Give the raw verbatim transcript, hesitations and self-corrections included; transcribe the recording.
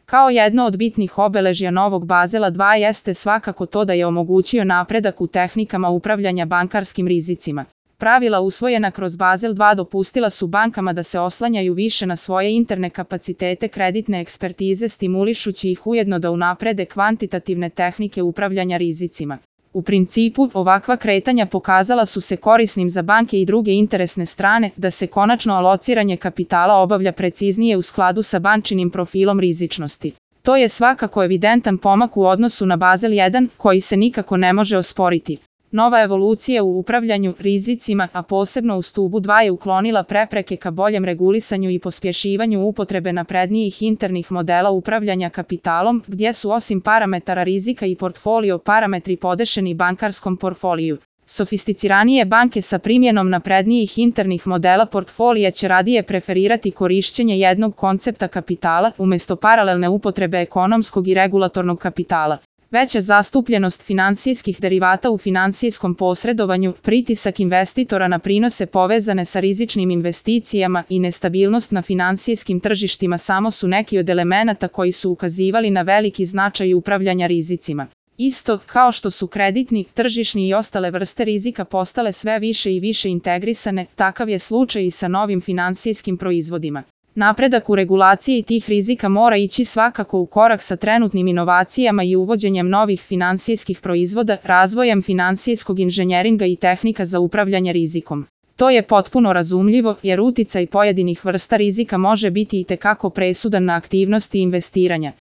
Kao jedno od bitnih obeležja novog Bazela dva jeste svakako to da je omogućio napredak u tehnikama upravljanja bankarskim rizicima. Pravila usvojena kroz Bazel dva dopustila su bankama da se oslanjaju više na svoje interne kapacitete kreditne ekspertize, stimulišući ih ujedno da unaprede kvantitativne tehnike upravljanja rizicima. U principu, ovakva kretanja pokazala su se korisnim za banke i druge interesne strane, da se konačno alociranje kapitala obavlja preciznije u skladu sa bančinim profilom rizičnosti. To je svakako evidentan pomak u odnosu na Bazel jedan, koji se nikako ne može osporiti. Nova evolucija u upravljanju rizicima, a posebno u stubu dva, je uklonila prepreke ka boljem regulisanju i pospješivanju upotrebe naprednijih internih modela upravljanja kapitalom, gdje su osim parametara rizika i portfolio parametri podešeni bankarskom portfoliju. Sofisticiranije banke sa primjenom naprednijih internih modela portfolija će radije preferirati korišćenje jednog koncepta kapitala umjesto paralelne upotrebe ekonomskog i regulatornog kapitala. Veća zastupljenost finansijskih derivata u finansijskom posredovanju, pritisak investitora na prinose povezane sa rizičnim investicijama i nestabilnost na finansijskim tržištima samo su neki od elemenata koji su ukazivali na veliki značaj upravljanja rizicima. Isto kao što su kreditni, tržišni i ostale vrste rizika postale sve više i više integrisane, takav je slučaj i sa novim finansijskim proizvodima. Napredak u regulaciji tih rizika mora ići svakako u korak sa trenutnim inovacijama i uvođenjem novih finansijskih proizvoda, razvojem finansijskog inženjeringa i tehnika za upravljanje rizikom. To je potpuno razumljivo, jer uticaj pojedinih vrsta rizika može biti itekako presudan na aktivnosti investiranja.